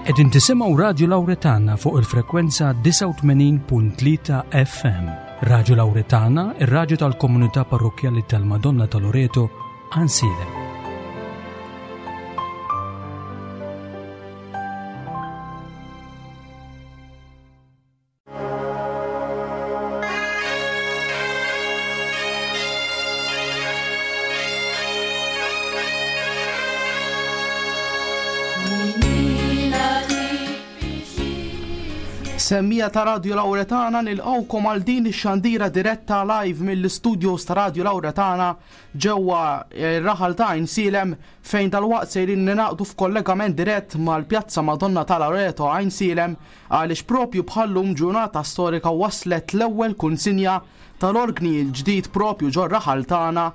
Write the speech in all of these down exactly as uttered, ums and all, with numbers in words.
Qegħdin tisimgħu Radju Lawretana fuq il-frekwenza disgħa u tmenin punt tlieta F M. Radju Lawretana, ir-radju tal-komunità parrokkjali tal-Madonna ta' Loreto, Għajnsielem. Semmija ta' Radju Lawretana nilqgħukom għal din ix-xandira diretta live mill-istudios ta' Radju Lawretana ġewwa r-raħal ta' Għajnsielem, fejn dalwaqt sejrin ninaqdu f'kollegament dirett mal-Pjazza Madonna ta' Loreto Għajnsielem, għaliex propju bħallum ġurnata storika waslet l-ewwel kunsinja tal-orgni l-ġdid propju ġor-raħal tagħna,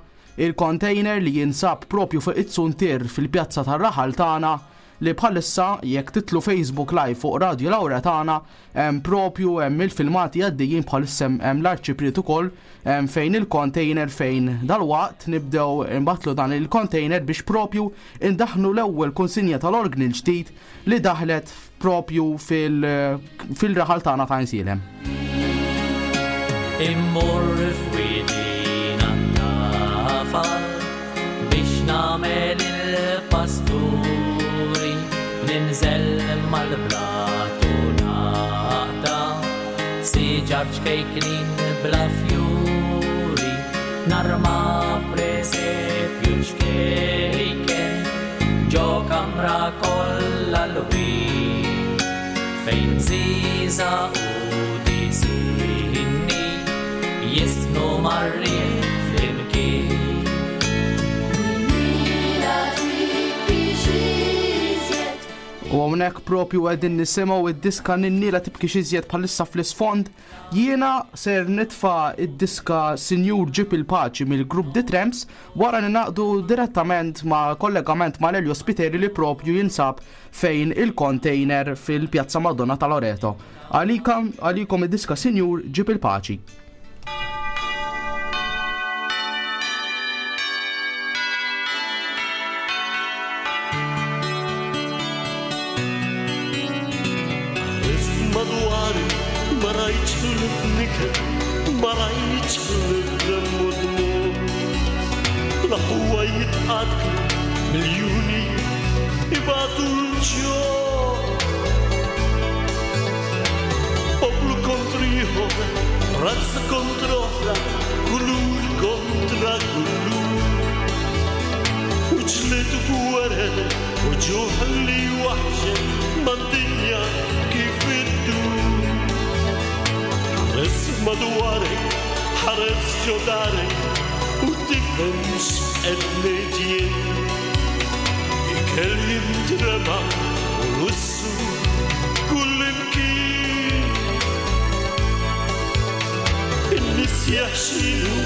il-container li jinsab propju fuq it-suntier fil-pjazza tar-raħal tagħna, li bħalissa jekk titlu Facebook Live fuq Radju Lawretana hemm propju hemm il-filmati għaddejjin bħalissa hemm, hemm l-arċipriet ukoll, hemm fejn il-container fejn dalwaqt nibdew nbattlu dan il-container biex propju indaħnu l-ewwel kunsinja tal-orgni l-ġdid li daħlet propju fil-, fil-raħal tagħna ta' Għajnsielem. Immur f'widina tafal biex nagħmel il-pasturi, ninżel mal-blatu naqta siġar ċkejknin bla fjuri, narma presepju ċkejken ġo kamra kollha l-win fejn bżiża u disinni jisnu marrin flimkien. U hawnhekk propju qegħdin nisimgħu id-diska Ninniela tibki xiżjed bħalissa fl-isfond. Jiena ser nitfa' id-diska Sinjur Ġib il-Paċi mill-grupp The Tramps wara li naqdu direttament ma' kollegament ma' Lelio Spiteri li propju jinsab fejn il-container fil-Pjazza Madonna ta' Loreto. Għalikom, għalikom id-diska Sinjur Ġib il-Paċi. ما رايتش الدم ودموع، الأخوة يتقاتلوا مليوني يبعتوا الجوع، poplu kontra razza kontra oħra, kulur kontra kulur, وجلد gwerer وجوه اللي وحشة ما الدنيا كيف تدور. حرس مدوارك حرس جدارك وتفهمش قد الكل ينترمى ورسو كل مكين، الناس يحشيلو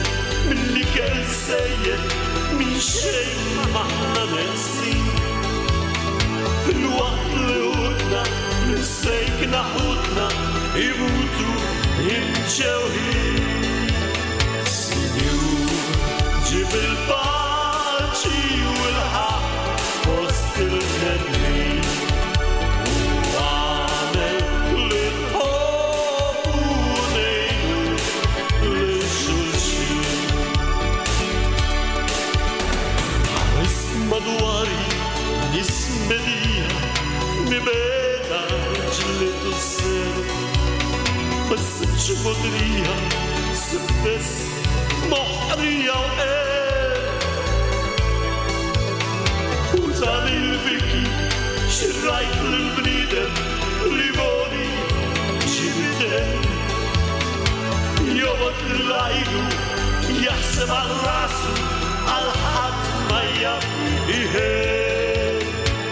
من اللي كان سيد من شيء ما احنا ناسين، في الوقت اللي قلنا نسيكنا حوتنا يموتوا يمشاوهين. سنين جيب الباجي والحق وسط الندمين، وعمل للحب ونيل للشوشين. حرس مدواري نسمدية مبادة جلد السر، بس مش مدرية بس محرية وقال وزاني البكي شرايك للبنيدم ليموني جبدان يومك للعيلو يحسب على راسه على حد ما يهين.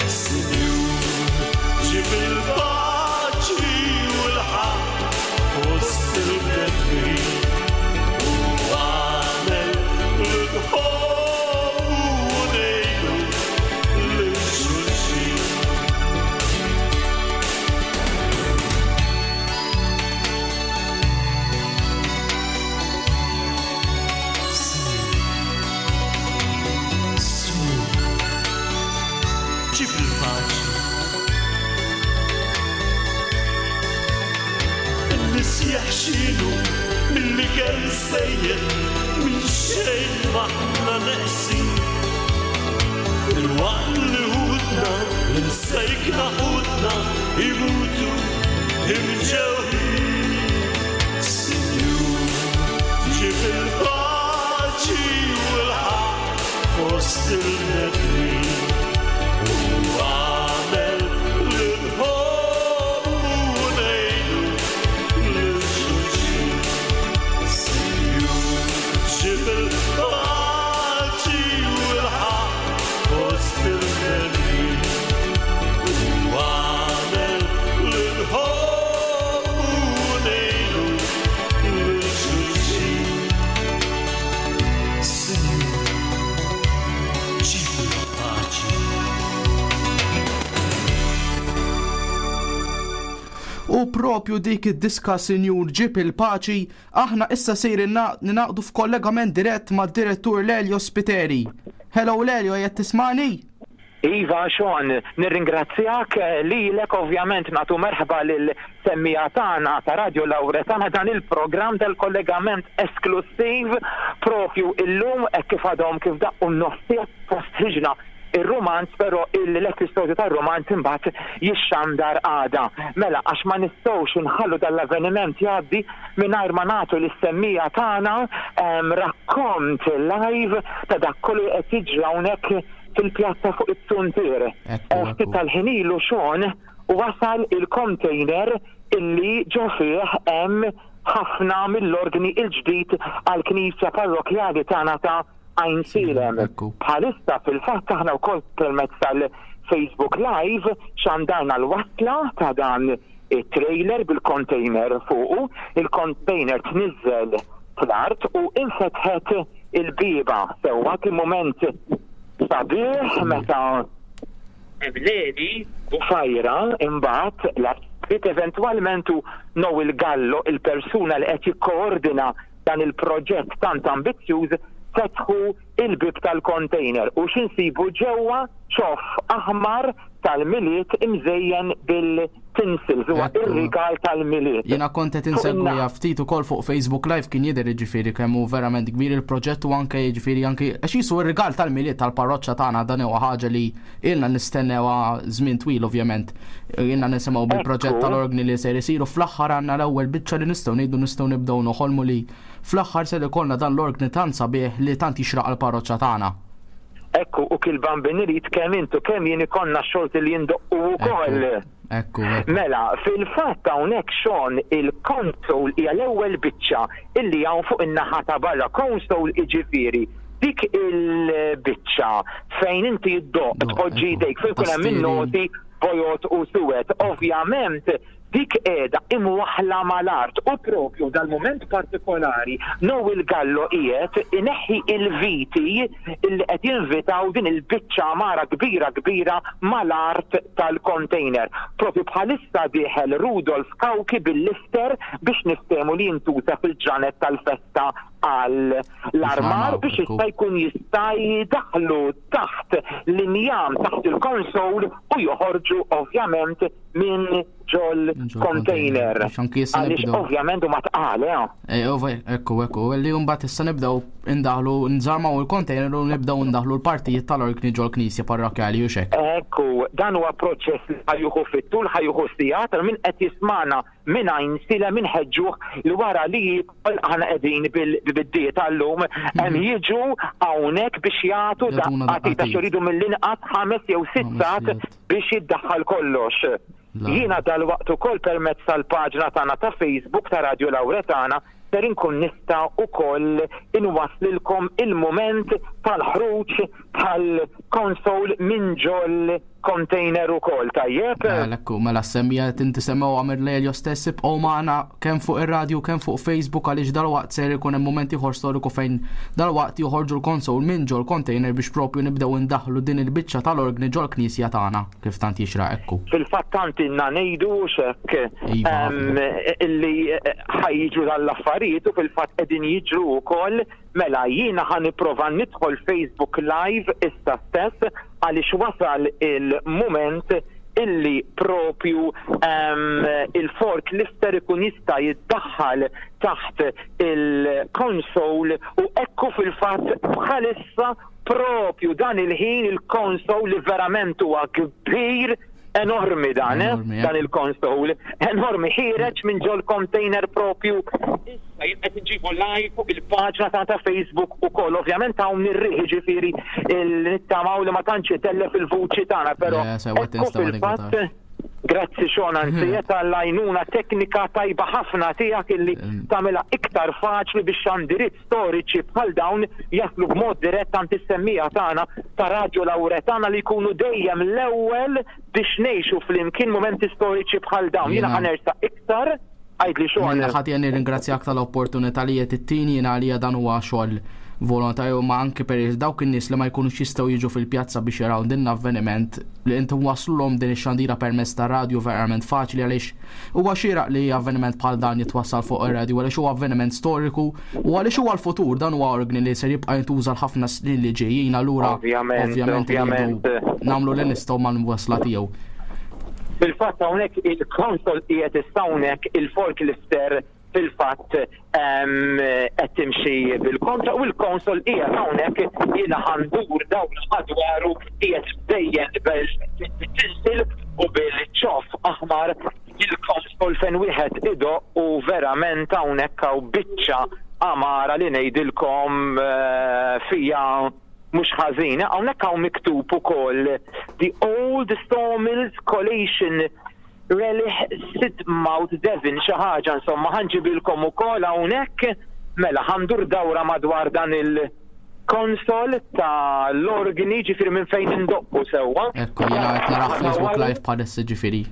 سنين جيب الباجي والحق وسط البدري وعمل الحب ونيله للشوشين. سنين سنين جيب الباجي X'inhu mill-ikel sejjer, minn xejn m'aħna neqsin. Il-waqt li ħutna, l-imsejkna ħutna, imutu imġewħin. Sinjur, ġib il-paċi u l-ħaqq fost il-bnedmin. U agħmel li nħobbu u ngħinu lil xulxin. Sinjur, ġib il-paċi u l-ħaqq fost il-bnedmin. U agħmel li nħobbu u ngħinu lil xulxin. Sinjur, ġib il-paċi. U propju dik id-diska Sinjur Ġib il-Paċi, aħna issa sejrin ninaqdu f'kollegament dirett mad-direttur Lelio Spiteri. Hello Lelio, qed tismani? Iva, Sean, nirringrazzjak lilek, ovvjament nagħtu merħba lil semmija tagħna ta' Radio Lauretana, dan il-programm del-kollegament esklusiv propju illum hekk kif għadhom kif daqqu n-nofsija postħiġna ir-romanz, però l-episodju tar-romanz imbagħad jixxandar għada. Mela, għax ma nistgħux inħallu dal-avveniment jgħaddi mingħajr ma nagħtu lis-semmija tagħna em, rakkont live ta' dak kollu li qed jiġri hawnhekk fil-pjazza fuq it-Suntier. Ekku, Eh, Ftit ekku. tal-ħin ilu Sean wasal il-container illi ġo fih hemm ħafna mill-organi il-ġdid għall-Knisja Parrokjali tagħna ta' Għajnsielem. Ekku. Bħalissa fil-fatt aħna wkoll permezz tal-Facebook Live xandarna l-wasla ta' dan it-trailer bil-container fuqu. Il-container tniżel fl-art u infetħet il-bieba. Sewwa kien mument sabiħ meta Leli u Fajra imbagħad l-artist eventwalment u Noel Gallo, il-persuna li qed jikkoordina dan il-proġett tant ambizzjuż, fetħu il-bib tal-container u x'insibu ġewwa? Ċoff aħmar tal-Milied imżejjen bil-tinsels, huwa Ekku. ir-rigal tal-Milied. Jiena kont qed Fuq insegwiha in-naħa. ftit ukoll fuq Facebook Live, kien jidher jiġifieri kemm hu verament kbir il-proġett u anke jiġifieri anke għax jisu r-rigal tal-Milied tal-parroċċa tagħna. Dan huwa ħaġa li ilna nistennewha żmien twil ovvjament. Ilna nisimgħu bil-proġett Ekku. tal-organi li ser isiru, fl-aħħar għandna l-ewwel biċċa li nistgħu ngħidu nistgħu nibdew noħolmu li fl-aħħar se ikollna dan l-organi tant sabiħ li tant jixraq għall-parroċċa tagħna. Ekku, u kil Bambin irid kemm intu kemm jien ikollna xorti li jindoqqu wkoll. Ekku, ekku. Mela, fil-fatt hawnhekk Sean il-console hija l-ewwel biċċa illi hawn fuq in-naħa ta' barra. Console iġifieri dik il-biċċa fejn inti ddoqq, Doq, tpoġġi ekku. jdejk fejn ikun hemm Tastieri. in-noti bojod u suwed. Ovvjament dik qiegħda imwaħla mal-art u propju dal-mument partikolari Noel Gallo qiegħed ineħħi il-viti illi qed jinvitaw din il-biċċa mara kbira kbira mal-art tal-container. Propju bħalissa dieħel Rudolf Kawki bil-lifter biex niftehmu li jintuża fil-ġranet tal-festa għal l-armar Biex biex ekku. jista' jkun jista' jidaħlu taħt l-injam taħt il-konsol u joħorġu ovvjament minn ġol Minn ġol container. container. Biex anki issa Għaliex nibdew. ovvjament huma tqal, eh. Eh, ova, ekku, ekku, li mbagħad issa nibdew indaħlu, nżarmaw il-container u nibdew indaħlu l-partijiet tal-organi ġol knisja parrokjali u xek. Ekku, dan huwa proċess li ħa jieħu fit-tul, ħa jieħu sigħat, min qed jismana minn Għajnsielem inħeġġuh li wara li jidħol, aħna qegħdin bil-biddiet għallum, hemm jiġu hawnhekk biex jagħtu Jagħtuna daqqa t'id għax daqqa t'id. iridu mill-inqas ħames jew sitt Ħames sigħat sigħat. biex jiddaħħal kollox. La. Jiena dal-waqt ukoll permezz tal-paġna tagħna ta' Facebook ta' Radio Lauretana ser inkun nista' ukoll inwaslilkom il-mument tal-ħruġ tal-konsol minn ġol container ukoll, tajjeb? Mela, ekku, mela semmija tinti semmew għamir Lelio stess, ibqgħu magħna kemm fuq ir-radju kemm fuq Facebook għaliex dalwaqt ser ikun hemm mument ieħor storiku fejn dalwaqt joħorġu l-konsol minn ġol container biex propju nibdew indaħlu din il-biċċa tal-organi ġol knisja tagħna kif tant jixraq, ekku. Fil-fatt tant inna ngħidu xek Iva, em, illi ħa jiġru dal-affarijiet u fil-fatt qegħdin jiġru wkoll. Mela jiena ħa nipprova nidħol Facebook Live issa stess għaliex wasal il-mument Illi propju um, il-forklifter ikun jista' jiddaħħal taħt il-console u ekku fil-fatt bħalissa propju dan il-ħin il-console li verament huwa kbir, enormi dan, eh? Enormi, eh? Dan il-console, enormi, ħiereġ minn ġol container propju. Issa jien qed nġibu live fuq il-paġna ta' ta' Facebook ukoll. Ovvjament hawn ir-riħ, ġifieri nittamaw li ma tantx itellef il-vuċi tagħna, però Le, sewa ekku tinstema' fil-fatt tinkwetax. Grazzi Sean, anzi tal-għajnuna teknika tajba ħafna tiegħek illi tagħmilha iktar faċli biex xandiriet storiċi bħal dawn jaslu b'mod dirett għand is-semmiegħa tagħna ta' Radju Lauretana li jkunu dejjem l-ewwel biex ngħixu flimkien momenti storiċi bħal dawn. Jiena Jiena- ħa nersaq iktar, għidli Sean. Minna ħadd jien nirringrazzjak tal-opportunità li qed ittini. Jiena għalija dan huwa xogħol volontarju, ma anke per dawk in-nies li ma jkunux jistgħu jiġu fil-pjazza biex jaraw din l-avveniment li intom waslulhom din ix-xandira permezz ta' radio verament faċli, għaliex huwa xieraq li avveniment bħal dan jitwassal fuq ir-radio, għaliex huwa avveniment storiku u għaliex huwa l-futur. Dan huwa organi li ser jibqa' jintuża l-ħafna snin li ġejjin, allura Ovvjament, ovvjament irridu ovvjament. nagħmlu li nistgħu mal-wasla tiegħu. Fil-fatt hawnhekk il-console qiegħed issa hawnhekk, il-forklifter fil-fatt em, qed timxi bil-kontra u l-console qiegħed hawnhekk. Jiena ħa ndur dawn madwaru, qiegħed dejjem bil-tinsel u bil-ċoff aħmar il-console fejn wieħed idoqq u verament hawnhekk hawn biċċa għamara li ngħidilkom eh, fija mhux ħażina. Hawnhekk hawn miktub ukoll "The Old Sawmills Collation Relic Sidmouth Devon", xi ħaġa insomma ħa nġibilkom ukoll hawnhekk. Mela ħa ndur dawra madwar dan il-console ta' l-organi, ġifieri minn fejn indoqqu sewwa. Ekku, jiena qed naraw Facebook Live bħalissa, ġifieri.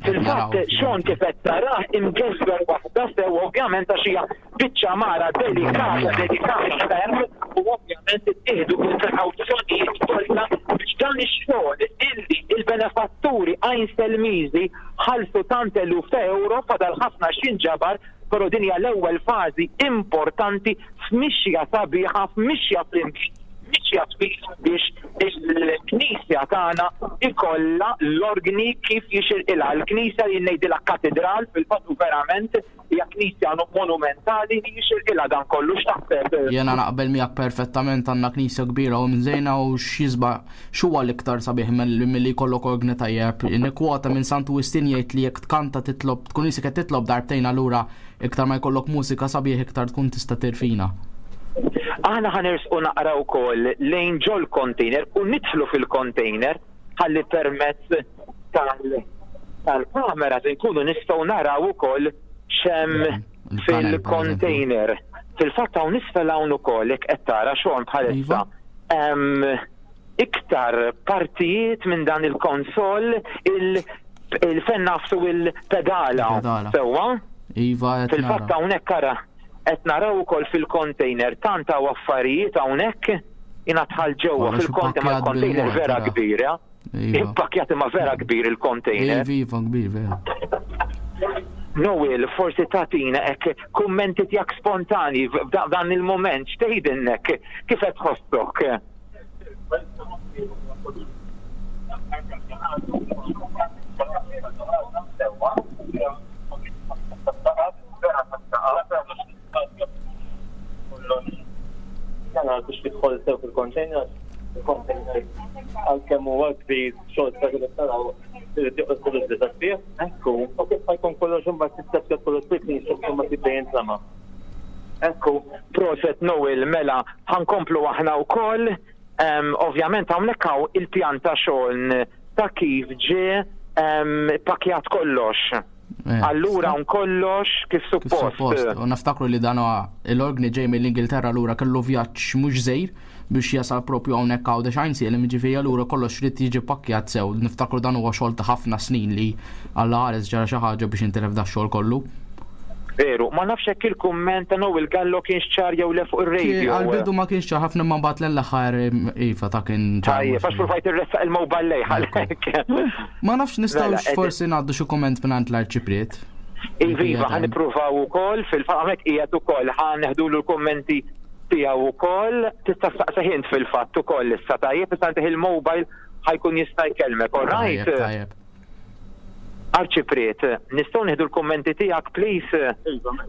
Qed naraw. Fil-fatt, Sean, kif qed tarah imgeżwer waħda sew, ovvjament għax hija biċċa mara delikata, delikata ferm, u ovvjament ittieħdu il-prekawzjonijiet kollha biex dan ix-xogħol illi il-benefatturi Għajnselmiżi ħallsu tant eluf ta' euro, fadal ħafna x'inġabar, però din hija l-ewwel fażi importanti f'mixja sabiħa, f'mixja flimkien, mixja twila biex il-knisja tagħna ikollha l-organi kif jixirqilha. L-knisja li ngħidilha katedral fil-fatt u verament hija knisja monumentali li jixirqilha dan kollu. X'taħseb? Jena naqbel miegħek perfettament. Għandna knisja kbira u mżejna u x'jisba x'huwa l-iktar sabiħ mill- milli jkollok organi tajjeb. Nikkwota minn Santu Wistin, jgħid li jekk tkanta titlob tkun isek qed titlob darbtejn, allura iktar ma jkollok mużika sabiħ iktar tkun tista' tirfina. Aħna ħa nersqu naqra wkoll lejn ġol container u nidħlu fil-container ħalli permezz tal tal-kamera nkunu nistgħu naraw ukoll x'hemm Il-panel, fil-container. Fil-fatt hawn isfel hawn ukoll, jekk qed tara xogħol bħalissa. Iva. Hemm iktar partijiet minn dan il-console, il il-fen nafsu il-pedala. Il-pedala. Sewwa? Iva, qed Fil-fatt nara. hawnhekk ara qed naraw ukoll fil-container tant hawn affarijiet hawnhekk. Jiena dħalt ġewwa Kollox fil-container, ma ippakkjat l-container bil-mod, vera tara. kbira. Iva. Ippakkjat imma vera kbir il-container. Iva, iva, kbir, vera. Noel, forsi tagħtina hekk kummenti tiegħek spontani f'dan il-moment, x'tgħidilnek, kif qed tħossok? Jana biex tidħol sew fil-container, il-container għalkemm huwa kbir xogħol ta' kif taraw irid joqgħod kollox biżgħat fih. Ekku, U kif ħajkun kollox imbagħad tista' kollox fil-knisja u tibda jintlama. Ekku, proset Noel, mela, ħa nkomplu aħna wkoll. Um, ovvjament hawnhekk hawn il-pjan ta' xogħol ta' kif ġie um, pakjat kollox. Eh, Allura hawn kollox kif Kif suppost. suppost. U naftakru li dan huwa l-organi ġej mill-Ingilterra, allura kellu vjaġġ mhux żgħir biex jasal propju hawnhekk Għawdex Għajnsielem, jiġifieri allura kollox irid jiġi pakkjat sew. Niftakru dan huwa xogħol ta' ħafna snin li Alla ħares ġara xi ħaġa biex intilef da xogħol kollu. Veru, ma nafx hekk il-kumment ta' Noel Gallo kienx ċar jew le fuq ir-radio. Għal-bidu ma kienx ċar ħafna, ma mbagħad l-aħħar iva ta' kien ċar. Tajjeb, għax provajt irressaq il-mobile lej għalhekk. Ma nafx nistgħux Mela, ed- forsi ngħaddu xi kumment minn l-arċipriet. Iva, ħa nippruvaw ukoll, fil-fatt hawnhekk qiegħed ukoll, ħa neħdulu l-kummenti tiegħu ukoll, tista' staqsih int fil-fatt ukoll issa, tajjeb, issa ntih il-mobile ħa jkun jista' jkellmek, all right? Tajjeb, tajjeb. Arċipriet, nistgħu nieħdu l-kummenti tiegħek, please?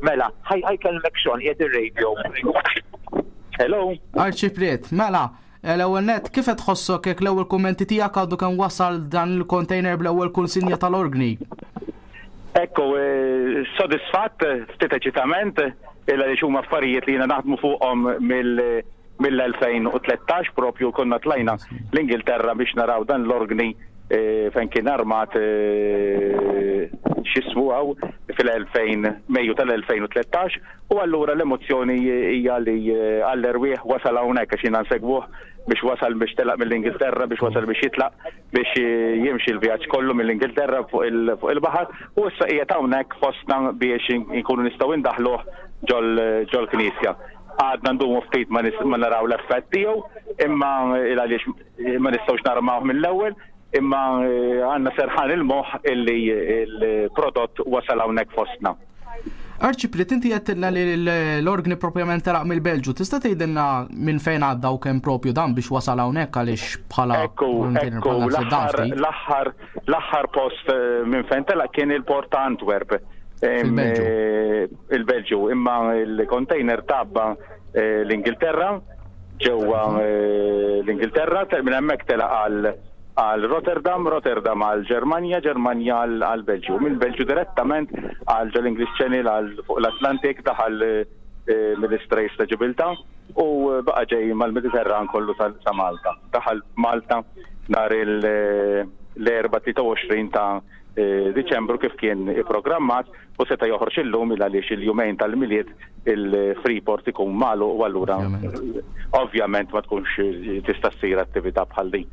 Mela, ħa ħa jkellmek Sean, qiegħed ir-radio. Hello. Arċipriet, mela, l-ewwel net, kif qed tħossok jekk l-ewwel kummenti tiegħek għadu kemm wasal dan il-container bl-ewwel kunsinja tal-organi? Ekku, eh, sodisfatt, ftit eċitament, illa li huma affarijiet li jiena naħdmu fuqhom mill- mill-elfejn u tlettax, propju konna tlajna l-Ingilterra biex naraw dan l-organi eh, fejn kien armat, eh, x'jismu hawn, fil-elfejn, Mejju tal-elfejn u tlettax, u allura l-emozzjoni hija li eh, għall-erwieħ wasal hawnhekk, għax jiena nsegwuh biex wasal, biex telaq mill-Ingilterra, biex wasal, biex jitlaq, biex jimxi l-vjaġġ kollu mill-Ingilterra fuq il- fuq il-baħar u issa qiegħed hawnhekk fostna biex inkunu nistgħu indaħluh ġol ġol knisja. Għadna ndumu ftit ma nis- ma naraw l-effett tiegħu, imma il għaliex ma nistgħux narmawh mill-ewwel, imma eh, għandna serħan il-moħħ illi il-prodott wasal hawnhekk fostna. Arċipriet, inti għedtilna li l-organi propjament telaq mill-Belġu. Tista' tgħidilna minn fejn għadda u kemm propju dan biex wasal hawnhekk, għaliex bħala Ekku, container ekku, bħala naħseb dan l-aħħar ftit? l-aħħar l-aħħar post eh, minn fejn telaq kien il-port ta' Antwerp. Em, Fil-Belġu. eh, Il-Belġu, imma il-container tabba eh, l-Ingilterra, ġewwa eh, l-Ingilterra, te- minn hemmhekk telaq għal għal Rotterdam, Rotterdam għal Ġermanja, Ġermanja għal għal Belġju. Minn Belġju direttament għal ġol English Channel, għal fuq l-Atlantik, daħal eh, mill-Straits ta' Ġibilta u baqa ġej mal-Mediterran kollu sa sa Malta. Daħal Malta nhar il- l-Erbgħa tlieta u għoxrin ta' eh, Diċembru kif kien ipprogrammat u seta' joħroġ illum il għaliex il-jumejn tal-Milied il-Freeport ikun magħluq u allura Ovvjament. ovvjament ma tkunx tista' ssir attività bħal din.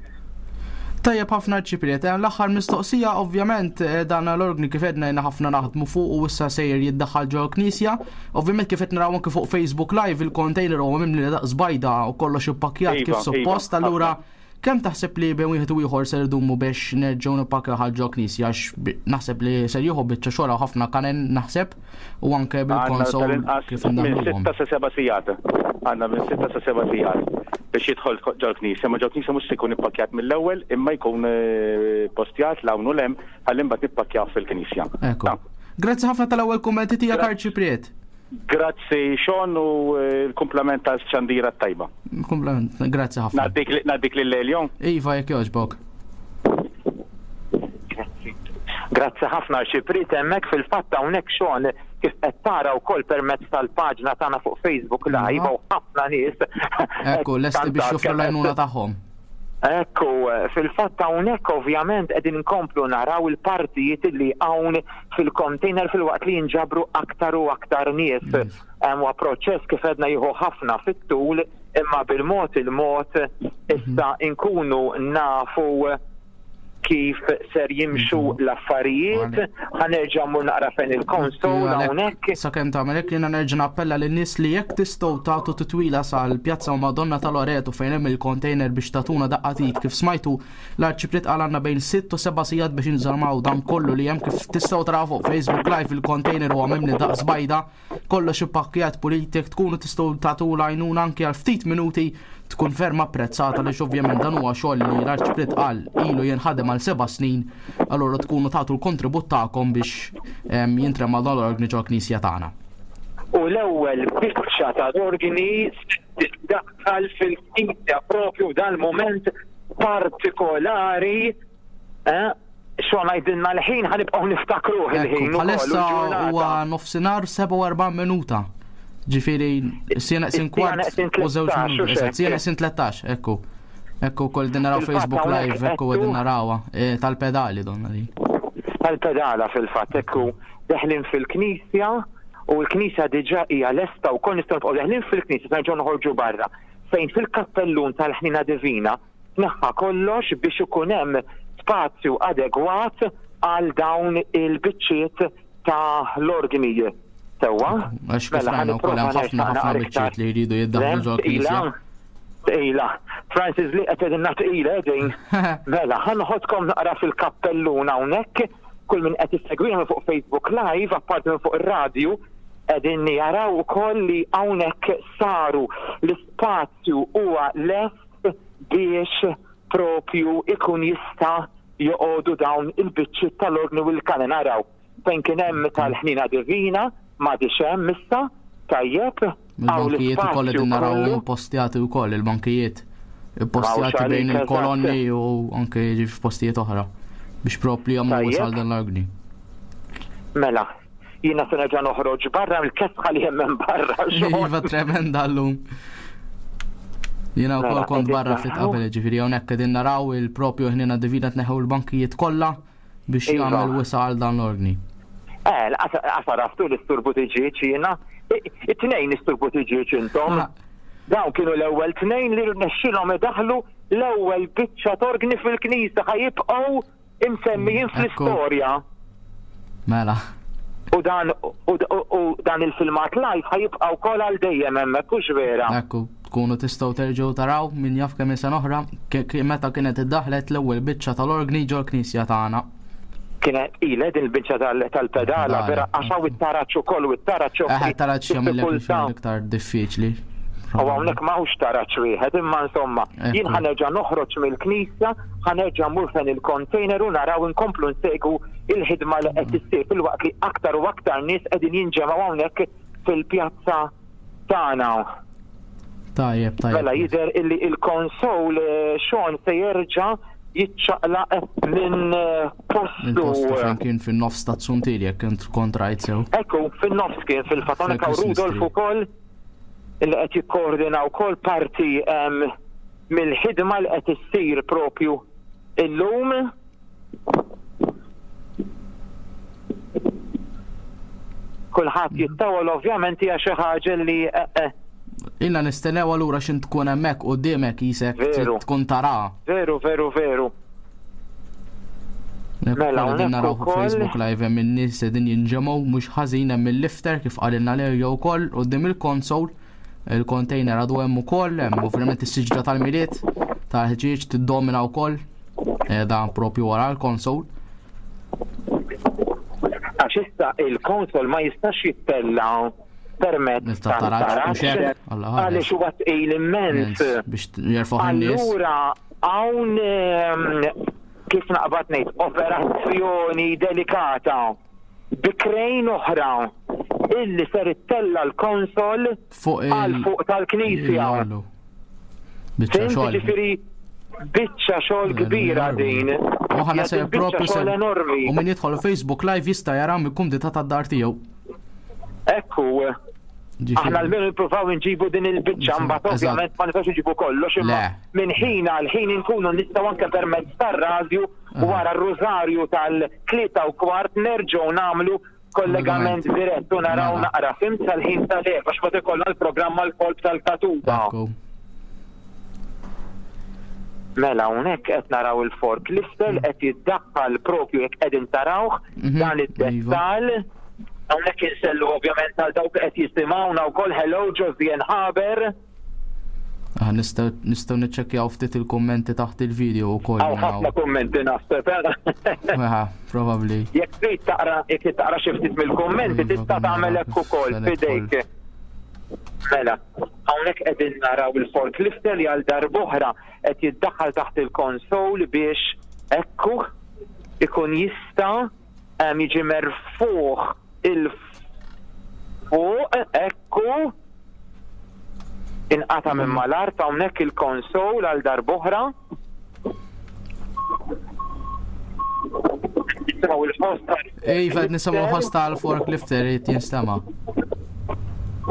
Tajjeb ħafna, Arċipriet. Eh, L-aħħar mistoqsija, ovvjament eh, dan l-organi kif għedna jiena ħafna naħdmu fuq u issa sejjer jiddaħħal ġol knisja. Ovvjament kif qed naraw anke fuq Facebook Live, il-container huwa mimli daqs bajda u kollox ippakkjat Iva, kif suppost. iva, Allura ħafna. kemm taħseb li bejn wieħed u ieħor ser idumu biex nerġgħu nippakkjaw ġol knisja, għax bi- naħseb li ser jieħu biċċa xogħol ħafna kanen naħseb u anke Għandna bil-konsol tal-inqas kif minn indaħluhom. sitta sa seba' sigħat. Għandna minn sitta sa seba' sigħat biex jidħol ġol knisja. Ma ġol knisja mhux se jkun ippakkjat mill-ewwel, imma jkun eh, postjat 'l hawn u 'l hemm ħalli mbagħad nippakkjaw fil-knisja. Ekku. Ta. Grazzi ħafna tal-ewwel kummenti tiegħek, Gra- Arċipriet. Grazzi Sean u eh, l-kumplament tal-xandira tajba. Kumplament, grazzi ħafna. Ngħaddik ngħaddik lil Eljon. Iva, jekk jogħġbok. Grazzi. Grazzi ħafna, Arċipriet, hemmhekk fil-fatt hawnhekk Sean, kif qed tara wkoll permezz tal-paġna tagħna fuq Facebook Live, Iva. u ħafna nies. Ekku, lesti biex joffru l-għajnuna tagħhom. Ekku, fil-fatt hawnhekk ovvjament qegħdin nkomplu naraw il-partijiet li hawn fil-container filwaqt li jinġabru aktar u aktar nies. Hemm huwa proċess kif għedna jieħu ħafna fit-tul, imma bil-mod il-mod issa nkunu nafu kif ser jimxu l-affarijiet. Ħa nerġa' mmur naqra fejn il-console hawnhekk. Sakemm tagħmel hekk, jiena nerġa' nappella lin-nies li jekk tistgħu tagħtu titwila sal-Pjazza Madonna ta' Loreto fejn hemm il-container biex tagħtuna daqqa t'id. Kif smajtu l-Arċipriet qal, għandna bejn sitt u seba' sigħat biex inżarmaw dan kollu li hemm. Kif tistgħu taraw fuq Facebook Live, il-container huwa mimli daqs bajda, kollox ippakkjat pulit. Jekk tkunu tistgħu tagħtu l-għajnuna anke għal ftit minuti, tkun ferm apprezzata, għaliex ovvjament dan huwa xogħol li l-Arċipriet qal ilu jinħadem għal seba' snin, allura tkunu tagħtu l-kontribut tagħkom biex em, jintrema dan l-organi ġol knisja tagħna. U l-ewwel biċċa tal-organi tiddaħħal fil-knisja propju dal-moment partikolari, eh? Xo ngħidilna l-ħin, ħa nibqgħu niftakruh Ekku, il-ħin ukoll, u bħalissa l-ġurnata. huwa nofsinhar sebgħa u erbgħin minuta. Ġifieri siegħa neqsin Is-siegħa kwart neqsin u żewġ tlettax, minuti. u Eżatt, xek. siegħa neqsin tlettax, ekku. Ekku kol din naraw Fil-fatt Facebook hawnhekk Live, ekku ekku. qegħdin narawha eh, tal-pedali donna li. Tal-pedala fil-fatt, ekku, deħlin fil-knisja u l-knisja diġà hija lesta wkoll. Nistgħu nibqgħu deħlin fil-knisja, nerġgħu noħorġu barra fejn fil-kappellun tal-Ħnina Divina tneħħa kollox biex ikun hemm spazju adegwat għal dawn il-biċċiet ta' l-organi. Sewwa? Għax kif Mela, rajna wkoll hemm ħa nipprova ħafna ħafna naqra biċċiet li jridu jiddaħħlu ġol Tqila, knisja. tqila. Francis li qed tgħidilna tqila din. Mela, ħa noħodkom naqra fil-kappellun hawnhekk, kull min qed issegwina fuq Facebook Live, apparti minn fuq ir-radju, qegħdin jaraw ukoll li hawnhekk saru l-ispazju huwa lest biex propju ikun jista' joqogħdu dawn il-biċċiet tal-orgni u l-kanen. Naraw fejn kien hemm tal-Ħnina Divina m'għadix hemm issa, tajjeb. Il-bankijiet ukoll qegħdin naraw postjati wkoll, il-bankijiet postjati bejn il-kolonni u anke f'postijiet oħra biex propri jagħmlu wisal dan l-orgni. Mela, jiena se nerġa' noħroġ barra mill-kesħa li hemm barra. Iva, tremenda llum. Jiena wkoll kont barra ftit qabel, ġifieri hawnhekk qegħdin naraw il-propju Ħnina Divina tneħħu l-bankijiet kollha biex jagħmel wisa għal dan l-orgni. Eh, għasaraftu l-isturbu tiġieġ jiena. It-tnejn isturbu tiġieġ intom. Dawn kienu l-ewwel tnejn li rnexxilhom idaħlu l-ewwel biċċa torgni fil-knisja, ħajibqgħu imsemmijin fl-istorja. Mela. U dan u dan il-filmat live ħajibqa' wkoll għal dejjem hemmhekk, hux vera? Ekku, tkunu tistgħu terġgħu taraw min jaf kemm sena oħra meta kienet iddaħlet l-ewwel biċċa tal-orgni ġol-knisja tagħna. Kienet ile din il-biċċa tal-pedala, vera, għax hawn it-taraġ ukoll u it-taraġ joffri. Eh, taraġ jagħmel iktar diffiċli. U hawnhekk m'hawnx taraġ wieħed, imma insomma, jien ħanerġa' noħroġ mill-knisja, ħanerġa' mmur fejn il-container u naraw inkomplu nsegwu il-ħidma li qed issir filwaqt li aktar u aktar nies qegħdin jinġemgħu hawnhekk fil-pjazza tagħna. Tajjeb, tajjeb. Mela jidher illi il-konsol Sean se jerġa' jiċċaqlaq minn postu. Minn postu fejn kien fin-nofs ta' Tsuntieri jekk int kont rajt sew. Ekku, fin-nofs kien fil-fatt hawnhekk hawn Rudolf ukoll li qed jikkoordina wkoll parti mill-ħidma li qed issir propju illum. Kulħadd jittawal ovvjament hija xi ħaġa li Ilna nistennew allura x'int tkun hemmhekk quddiemek qisek tkun tara. Veru, veru, veru. Mela hawnhekk naraw fuq Facebook Live hemm in-nies qegħdin jinġemgħu mhux ħażin hemm il-lifter kif qalilna Lerja wkoll quddiem il-konsol. Il-container għadu hemm ukoll, hemm ovvjament is-siġra tal-Milied tal-ħġieġ tiddomina wkoll qiegħda propju wara l-konsol. Għax issa il-konsol ma jistax jittella permezz tal-taraġ għaliex huwa tqil immens biex jerfgħu in-nies. Allura hawn kif naqbad ngħid operazzjoni delikata bi krejn oħra illi ser ittella l-konsol għal fuq tal-knisja. Biċċa xogħol. Ġifieri biċċa xogħol kbira din. U ħana ser propju xogħol enormi. U min jidħol Facebook Live jista' jara mill-kumdità tad-dar tiegħu. Ekku. Aħna l-menu nippruvaw nġibu din il-biċċa, mbagħad ovvjament ma nistgħux nġibu kollox, imma minn ħin għal ħin inkunu nistgħu anke permezz tar-radju wara r-rużarju tal-tlieta u kwart nerġgħu nagħmlu kollegament dirett u naraw naqra fim sal-ħin tal-erba' għax ma ikollna l-programm mal-kolb tal-katuba. Mela hawnhekk qed naraw il-forklifter qed jiddaħħal propju jekk qegħdin tarawh dan id-dettall. Hawnhekk insellu ovvjament għal dawk qed jisimgħuna wkoll. Hello Josien Haber. Ah, nistgħu niċċekkjaw ftit il-kummenti taħt il-video wkoll. Hawn ħafna kummenti naħseb. Aha, probabbli. Jekk trid taqra jekk trid taqra xi ftit mill-kummenti tista' tagħmel hekk ukoll f'idejk. Mela, hawnhekk qegħdin naraw il-forklifter li għal darb'oħra qed jiddaħħal taħt il-konsol biex ekku ikun jista' jiġi merfuħ il-fuq, ekku inqata' minn mal-art hawnhekk il-konsol għal darb'oħra. Nisimgħu il-ħoss tal Iva, qed nisimgħu l-ħoss tal-forklifter qed jinstema'.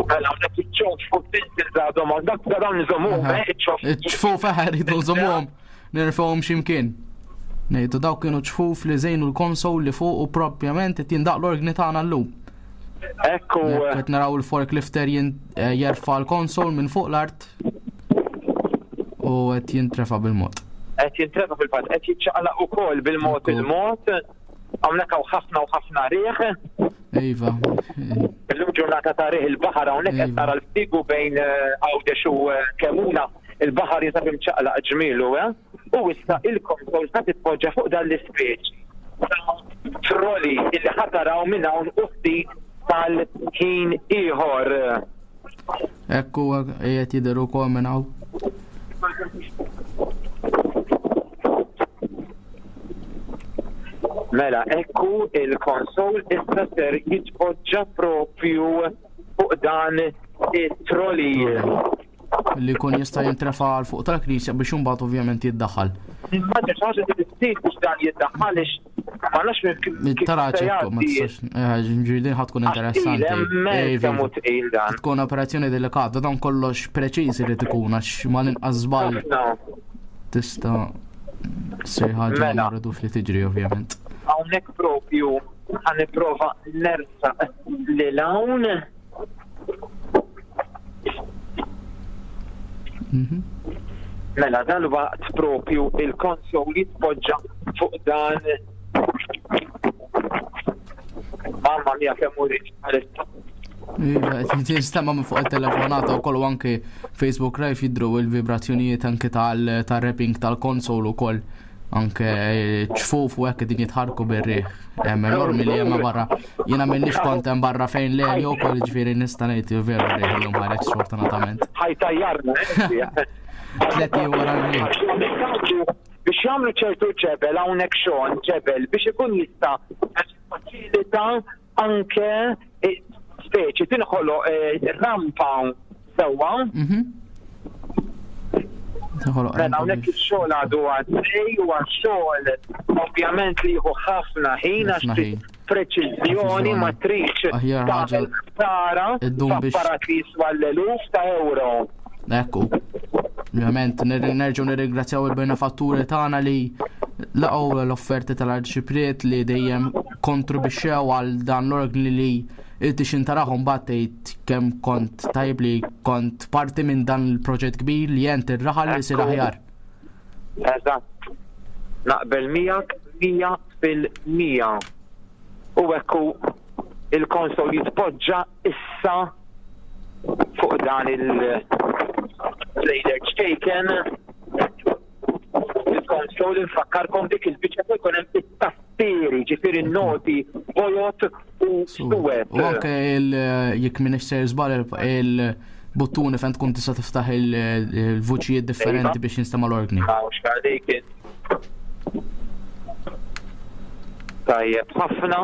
Mela hawnhekk iċ-ċof fuq tinsil għadhom dak dawn niżommuhom, eh, iċ-ċof. Iċ-ċfuf eħe rridu nżommuhom, nirfgħuhom x'imkien. Ngħidu dawk kienu ċfuf li żejnu l-konsol li fuq u propjament qed jindaq l-orgni tagħna llum. Ekku. Qed naraw il-forklifter jerfa' l-konsol minn fuq l-art u qed jintrefa' bil-mod. Qed jintrefa' fil-fatt, qed jiċċaqlaq ukoll bil-mod il-mod. Hawnhekk hawn ħafna u ħafna riħ. Iva. Illum ġurnata ta' riħ il-baħar hawnhekk qed tara l-ftigu bejn Għawdex u Kemuna. Il-baħar jinsab imċaqlaq ġmielu, eh? U issa il-konsol ta' titpoġġa fuq dan l-ispeċi trolli illi ħataraw minn hawn u ftit tal-ħin ieħor. Ekku qiegħed jidher ukoll minn hawn. Mela, ekku il-konsol issa ser jitpoġġa propju fuq dan it-trolley. Li jkun jista' jintrefa' għal fuq tal-knisja biex imbagħad ovvjament jiddaħħal. Immaġina xi ħaġa li ssir biex dan jiddaħħal għax ma nafx minn kif Taraġ se ekku, ma jgħaddi. tistax, eh, ġifieri din ħa tkun Għax tqil, interessanti. hemmhekk Eh, kemm hu tqil dan. Tkun operazzjoni delikata, dan kollox preċiż irid ikun għax ma l-inqas żball Ħafna. tista' ssir ħaġa li Mela. ma rridux li tiġri ovvjament. Hawnhekk propju ħa nipprova nersaq lil hawn. Mhm. Mela dal-waqt propju il-konsol jitpoġġa fuq dan. Mamma mia kemm hu rich bħalissa. Iva, qed jinstema' minn fuq it-telefonata wkoll u anke Facebook Live jidhru il-vibrazzjonijiet anke tal- tal-rapping tal-konsol ukoll anke ċfuf u hekk qegħdin jitħarrku bir-riħ. Hemm enormi li hemm barra. Jiena m'inix kont hemm barra fejn le jew ukoll jiġifieri nista' ngħid veru riħ illum ħareġ sfortunatament. Ħajtajjarna. eh? Tliet ijiem wara l-Milied. Biex jagħmlu ċertu ġebel hawnhekk xogħol ġebel biex ikun jista' faċilita anke eh, speċi tinħoloq eh, rampa sewwa. Mhm. Tinħoloq Mela rampa hawnhekk biex- ix-xogħol għadu għaddej u għax-xogħol ovvjament li jieħu ħafna ħin għax Ħafna trid ħin. preċiżjoni ma tridx Aħjar ħaġa tagħmel ħsara iddum biex- f'apparat li jiswa l-eluf ta' euro. Ekku. Ovvjament nir- nerġgħu nirringrazzjaw il-benefatturi tagħna li laqgħu l-offerti tal-Arċipriet li dejjem kontribwixxew għal dan l-organi li inti xintarahom mbagħad tgħid kemm kont tajb li kont parti minn dan il-proġett kbir li jent ir-raħal li jsir Ekku. aħjar. Eżatt. Naqbel miegħek mija fil-mija. U ekku il-konsol jitpoġġa issa fuq dan il-trailer ċkejken. Il-konsol infakkarkom dik il-biċċa fejn jkun hemm it-tastieri, ġifieri noti bojot u suwed. U anke il jekk m'iniex ser żball il-buttuni fejn tkun tista' tiftaħ il- il-vuċijiet differenti Iva. biex jinstema' l-organi. Għax għalik. Tajjeb, ħafna.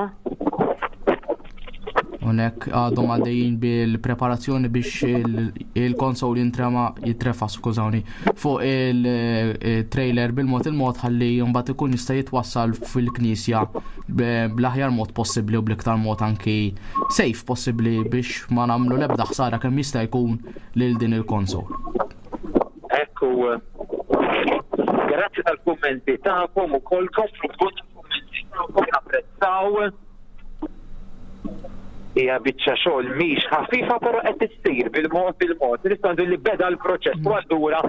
Unek għadhom għaddejjin bil-preparazzjoni biex il- il-konsol jintrema jitrefa skużawni fuq il-trailer bil-mod il-mod ħalli mbagħad ikun jista' jitwassal fil-knisja b- bl-aħjar mod possibbli u bl-iktar mod anki safe possibbli biex ma nagħmlu l-ebda ħsara kemm jista' jkun lil din il-konsol. Ekku, grazzi tal-kummenti tagħkom ukoll komplu b'kummenti tagħkom napprezzaw. Hija biċċa xogħol mhix ħafifa però qed issir bil-mod bil-mod. Nistgħu ngħidu li beda l-proċess u allura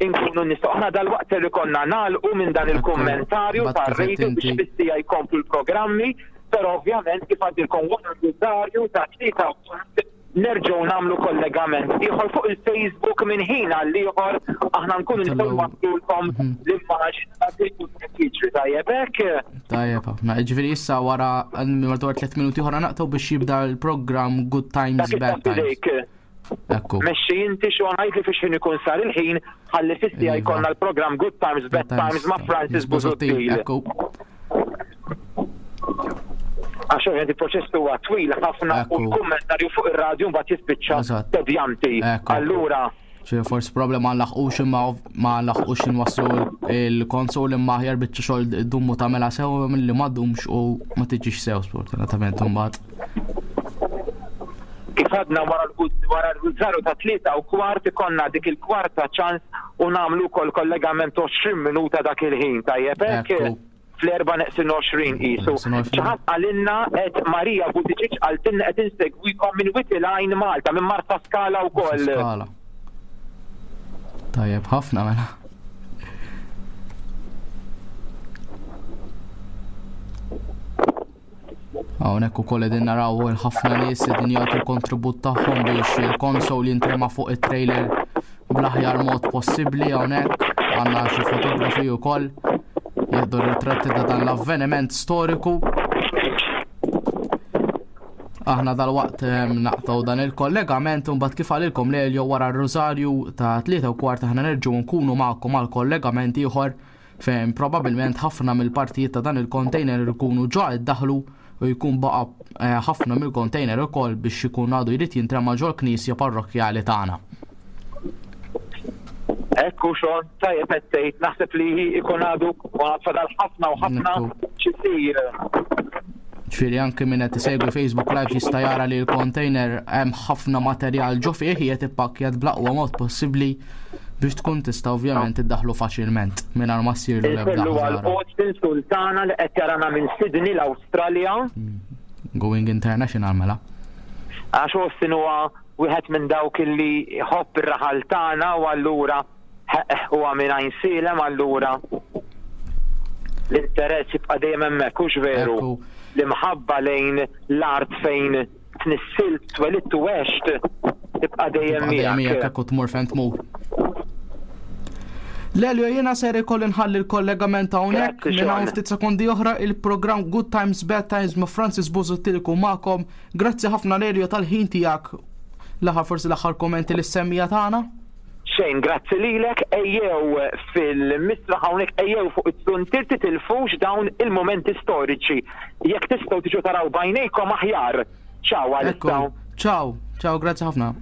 inkunu nistgħu aħna dal-waqt li konna nagħlqu minn dan il-kummentarju Mbagħad kif tar-radio qed biex inti- fissija jkomplu l-programmi, però ovvjament kif għadilkom wara l-Rosario ta' tlieta u kwart nerġgħu nagħmlu kollegament ieħor fuq il-Facebook minn ħin għal ieħor aħna nkunu nistgħu Tellgħu- nwaslulkom l-immaġni ta' dik jiġri tajjeb hekk. Tajjeb ħafna. Ġifieri issa wara madwar tliet minuti oħra naqtaw biex jibda l-programm Good Times Dak Bad Times. il-fidejk. Ekku. Mexxi inti xo ngħid li fiex ħin ikun sar il-ħin ħalli fissija Iva. jkollna l-programm Good Times Bad Times ma' Francis Busuttil. Ekku. Għax ovvjament il-proċess huwa twil ħafna u Ekku. l-kummentarju fuq ir-radju mbagħad jispiċċa Eżatt. tedjanti. Ekku. Allura ċe forsi problema ma nlaħqux imma ma nlaħqux inwasslu il-konsol imma aħjar biċċa xogħol dummu tagħmilha sew milli ma ddumx u ma tiġix sew sfortunatament imbagħad. kif għadna wara l- wara l-żaru ta' tlieta u kwart ikonna dik il-kwarta ċans u nagħmlu wkoll kollegament għoxrin minuta dak il-ħin tajjeb hekk Ekku. fl-erba' neqsin għoxrin qisu. Neqsin għoxrin. Xi ħadd qalilna qed Marija Buttigieg qaltilna qed insegwikom minn Witilajn Malta, minn Marsa Skala wkoll. Skala. Tajjeb ħafna mela. Hawnhekk ukoll qegħdin naraw il-ħafna nies qegħdin jagħtu l-kontribut tagħhom biex il-konsol jintrema fuq it-trailer bl-aħjar mod possibbli hawnhekk għandna xi fotografi wkoll jieħdu ritratti ta' dan l-avveniment storiku. Aħna dal-waqt ehm, naqtaw dan il-kollegament u mbagħad kif għalilkom lejl jew wara r-Rosario ta' tlieta u kwart aħna nerġgħu nkunu magħkom għal kollegament ieħor Fejn probabbilment ħafna mill-partijiet ta' dan il-container ikunu ġa iddaħlu u jkun baqa eh, ħafna mill-container ukoll biex ikun għadu jrid jintrema ġol-knisja parrokkjali tagħna. Ekku Sean, tajjeb qed tgħid, naħseb li jkun għadu fadal ħafna u ħafna x'isir. Ġifieri anke min qed isegwi Facebook Live jista' jara li l-container hemm ħafna materjal ġo fih, qiegħed ippakkjat bl-aqwa mod possibbli biex tkun tista' ovvjament iddaħlu faċilment mingħajr ma ssirlu l-ebda Insellu għal ħsara. Austin Sultana li qed jarana minn Sydney, l-Awstralja. Going international mela. Għax Austin huwa wieħed minn dawk illi jħobb ir-raħal tagħna u allura huwa minn Għajnsielem, allura l-interess jibqa' dejjem hemmhekk, hux veru? Ekku. L-imħabba lejn l-art fejn tnissilt, twelidt u għext tibqa' dejjem Tibqa' dejjem miegħek miegħek. Ekku, tmur fejn tmur. Lelio, jiena ser ikolli nħalli l-kollegament hawnhekk. Grazzi, minn hawn Sean. ftit sekondi oħra il-programm Good Times Bad Times ma' Francis Busuttil ikun magħkom. Grazzi ħafna, Lelio, tal-ħin tiegħek. L-aħħar forsi l-aħħar kommenti lis-semmiegħa tagħna. Xejn, grazzi lilek, ejjew fil-misraħ hawnhekk, ejjew fuq it-zuntier, titilfux dawn il-momenti storiċi. Jekk tistgħu tiġu taraw b'għajnejkom aħjar. Ciao Ekku. għalissa. Ciao, ciao, grazzi ħafna.